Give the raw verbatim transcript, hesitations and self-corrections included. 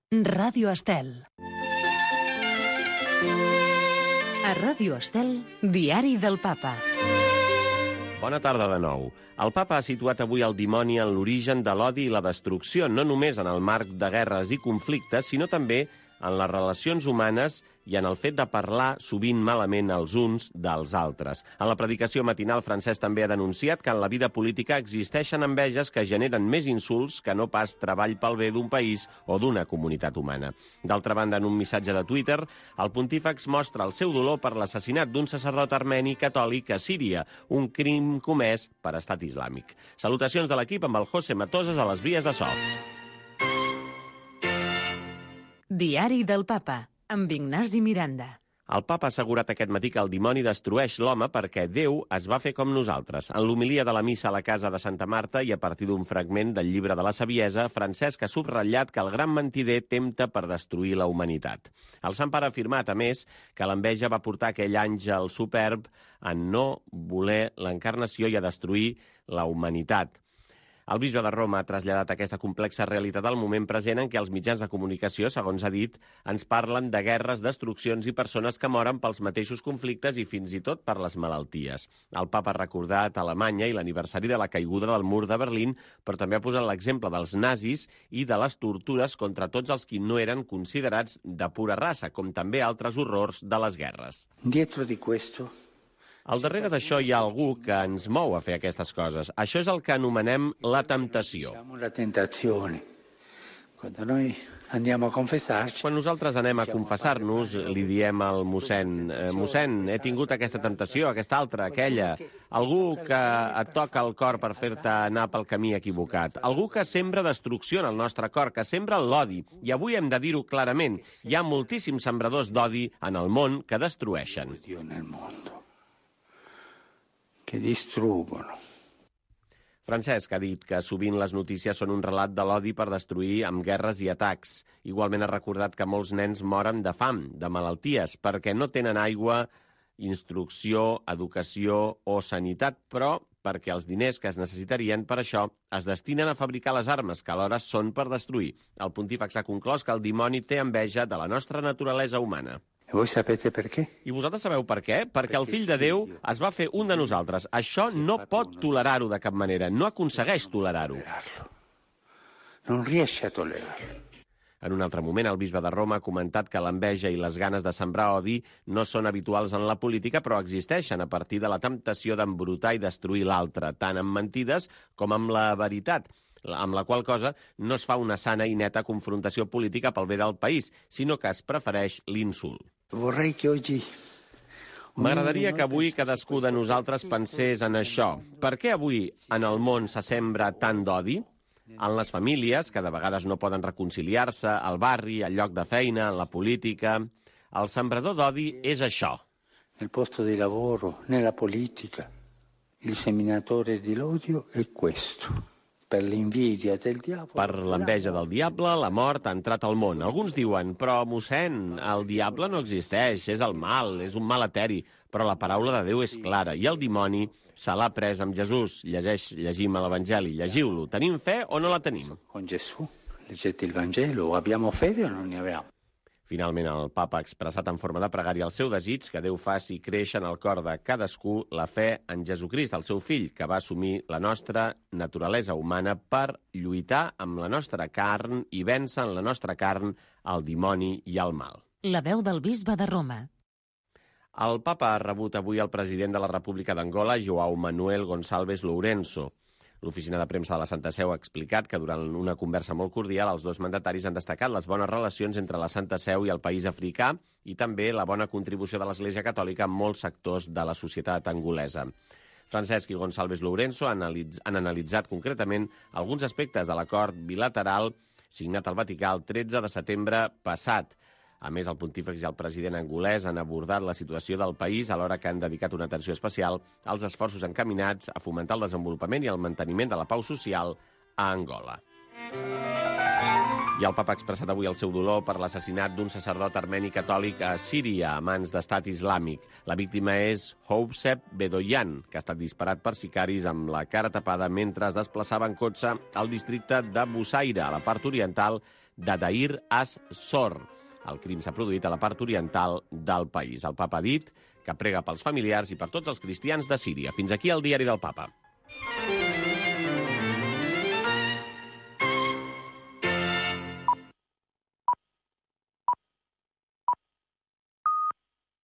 Ràdio Estel. A Ràdio Estel, Diari del Papa. Bona tarda de nou. El papa ha situat avui el dimoni en l'origen de l'odi i la destrucció, no només en el marc de guerres i conflictes, sinó també en les relacions humanes i en el fet de parlar sovint malament els uns dels altres. En la predicació matinal, Francesc també ha denunciat que en la vida política existeixen enveges que generen més insults que no pas treball pel bé d'un país o d'una comunitat humana. D'altra banda, en un missatge de Twitter, el pontífex mostra el seu dolor per l'assassinat d'un sacerdot armeni catòlic a Síria, un crim comès per Estat Islàmic. Salutacions de l'equip amb el José Matoses a les vies de so. Diari del Papa, amb Ignasi Miranda. El papa ha assegurat aquest matí que el dimoni destrueix l'home perquè Déu es va fer com nosaltres. En l'homilia de la missa a la casa de Santa Marta i a partir d'un fragment del llibre de la Saviesa, Francesc ha subratllat que el gran mentider tempta per destruir la humanitat. El Sant Pare ha afirmat, a més, que l'enveja va portar aquell àngel superb a no voler l'encarnació i a destruir la humanitat. El bisbe de Roma ha traslladat aquesta complexa realitat al moment present en què els mitjans de comunicació, segons ha dit, ens parlen de guerres, destruccions i persones que moren pels mateixos conflictes i fins i tot per les malalties. El papa ha recordat Alemanya i l'aniversari de la caiguda del mur de Berlín, però també ha posat l'exemple dels nazis i de les tortures contra tots els qui no eren considerats de pura raça, com també altres horrors de les guerres. Dietro di questo... Al darrere d'això hi ha algú que ens mou a fer aquestes coses. Això és el que anomenem la temptació. La tentazione. Quando noi andiamo a confessarci... Quan nosaltres anem a confessar-nos, li diem al mossèn, eh, mossèn, he tingut aquesta temptació, aquesta altra, aquella. Algú que et toca el cor per fer-te anar pel camí equivocat. Algú que sembra destrucció en el nostre cor, que sembra l'odi. I avui hem de dir-ho clarament. Hi ha moltíssims sembradors d'odi en el món que destrueixen. que distruggono. Francesc ha dit que sovint les notícies són un relat de l'odi per destruir amb guerres i atacs. Igualment ha recordat que molts nens moren de fam, de malalties, perquè no tenen aigua, instrucció, educació o sanitat, però perquè els diners que es necessitarien per això es destinen a fabricar les armes, que alhora són per destruir. El pontífex ha conclòs que el dimoni té enveja de la nostra naturalesa humana. E voi sapete perché? I vosaltres sabeu per què? Perquè el fill de Déu es va fer un de nosaltres. Això no pot tolerar-ho de cap manera. No aconsegueix tolerar-ho. Non riesce a tolerarlo. En un altre moment, el bisbe de Roma ha comentat que l'enveja i les ganes de sembrar odi no són habituals en la política, però existeixen a partir de la temptació d'embrutar i destruir l'altre, tant amb mentides com amb la veritat, amb la qual cosa no es fa una sana i neta confrontació política pel bé del país, sinó que es prefereix l'insult. Vorrei che oggi... M'agradaria que avui cadascú de nosaltres pensés en això. Per què avui en el món se sembra tant d'odi? En les famílies, que de vegades no poden reconciliar-se, al barri, al lloc de feina, en la política... El sembrador d'odi és això. Nel posto di lavoro, nella politica, il seminatore dell'odio è questo. Per l'invidia del diavolo... Per l'enveja del diable, la mort ha entrat al món. Alguns diuen, però, mossèn, el diable no existeix, és el mal, és un mal eteri. Però la paraula de Déu és clara, i el dimoni se l'ha pres amb Jesús. Llegeix, llegim a l'Evangeli, llegiu-lo. Tenim fe o no la tenim? Con Gesù, leggete il Vangelo, abbiamo fede o non ne abbiamo? Finalment, el papa ha expressat en forma de pregària el seu desig que Déu faci créixer en el cor de cadascú la fe en Jesucrist, el seu fill, que va assumir la nostra naturalesa humana per lluitar amb la nostra carn i vèncer en la nostra carn el dimoni i el mal. La veu del bisbe de Roma. El papa ha rebut avui el president de la República d'Angola, João Manuel Gonçalves Lourenço. L'oficina de premsa de la Santa Seu ha explicat que durant una conversa molt cordial els dos mandataris han destacat les bones relacions entre la Santa Seu i el país africà i també la bona contribució de l'Església Catòlica en molts sectors de la societat angolesa. Francesc i Gonçalves Lourenço han, analitz han analitzat concretament alguns aspectes de l'acord bilateral signat al Vaticà el tretze de setembre passat. A més, el pontífex i el president angolès han abordat la situació del país alhora que han dedicat una atenció especial als esforços encaminats a fomentar el desenvolupament i el manteniment de la pau social a Angola. I el papa ha expressat avui el seu dolor per l'assassinat d'un sacerdot armeni catòlic a Síria a mans d'Estat Islàmic. La víctima és Housep Bedoyan, que ha estat disparat per sicaris amb la cara tapada mentre es desplaçava en cotxe al districte de Bussaire, a la part oriental de Deir az-Zor. El crim s'ha produït a la part oriental del país. El papa ha dit que prega pels familiars i per tots els cristians de Síria. Fins aquí el diari del papa.